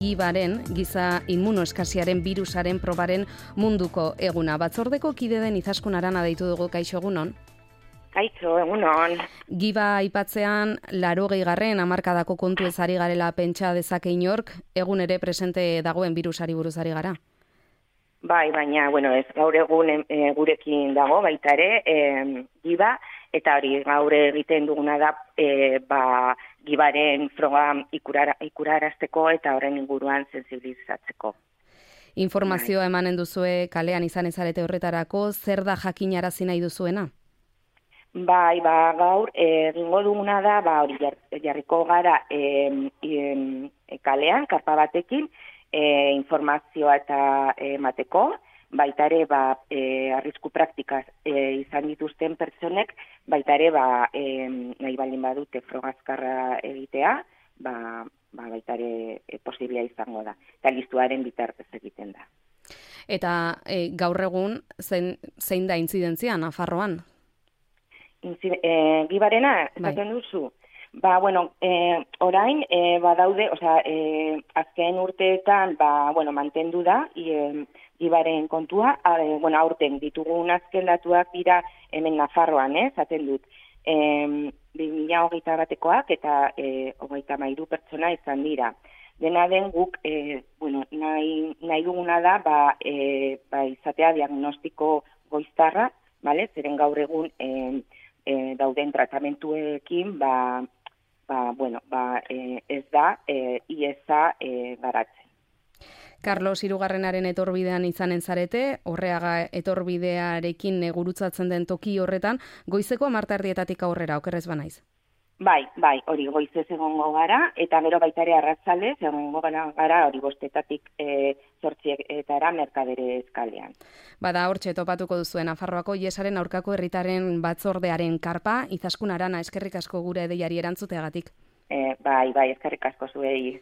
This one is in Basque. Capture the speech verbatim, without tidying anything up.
Gibaren, giza immunoeskasiaren birusaren probaren munduko eguna. Batzordeko kide den Izaskun Arana deitu dugu, kaixo egunon. Kaixo, egunon. Giba aipatzean, laurogei garren hamarkadako kontu ez ari garela pentsa dezake inork, egun ere presente dagoen birusari buruz ari gara. Bai, baina, bueno, ez gaur egun e, gurekin dago, baita ere, e, giba, eta hori gaur egiten duguna da, e, ba, gibaren froga ikurara, ikurarazteko eta horren inguruan sensibilizatzeko. Informazioa bai. Emanen duzue kalean izan ezarete horretarako, zer da jakinarazi nahi duzuena? Bai, ba, gaur egingo duguna da, ba, hori jarriko gara e, e, kalean, karpa batekin, E, informazioa eta emateko, baita ere ba, e, arrisku praktikaz e, izan dituzten pertsonek, baita ere ba, e, nahi balin badute frogazkarra egitea, ba, ba, baita ere e, posiblia izango da. Eta listuaren bitartez egiten da. Eta e, gaur egun zein, zein da intzidentzia Nafarroan? Inzid, e, gibarena, esaten duzu? Ba, bueno, eh, orain, eh, badaude, osea, eh, azken urteetan, ba, bueno, mantendu da, e, gibaren kontua, e, bueno, aurten ditugun azken datuak dira hemen Nafarroan, eh, zaten dut, e, bi mila hogeita batekoak eta e, hogeita mairu pertsona izan dira. Dena den guk, e, bueno, nahi, nahi duguna da, ba, e, ba, izatea diagnostiko goiztarra, vale? Zeren gaur egun e, e, dauden tratamentuekin, ba, Ba, bueno, ba, e, ez da, e, iesa e, garatzen. Carlos Hirugarrenaren etorbidean izanen zarete, Orreaga etorbidearekin gurutzatzen den toki horretan, goizeko hamarterdietatik aurrera, okerrez banaiz? Bai, bai, hori goizez egongo gara, eta gero baita ere arratzaldez egongo gara hori bostetatik e, zortzietara Merkadere eskalean. Bada, hortxe topatuko duzuen Nafarroako Iesaren aurkako herritarren batzordearen karpa, Izaskun Arana, eskerrik asko gure deiari erantzuteagatik. E, bai, bai, eskerrik asko zuei.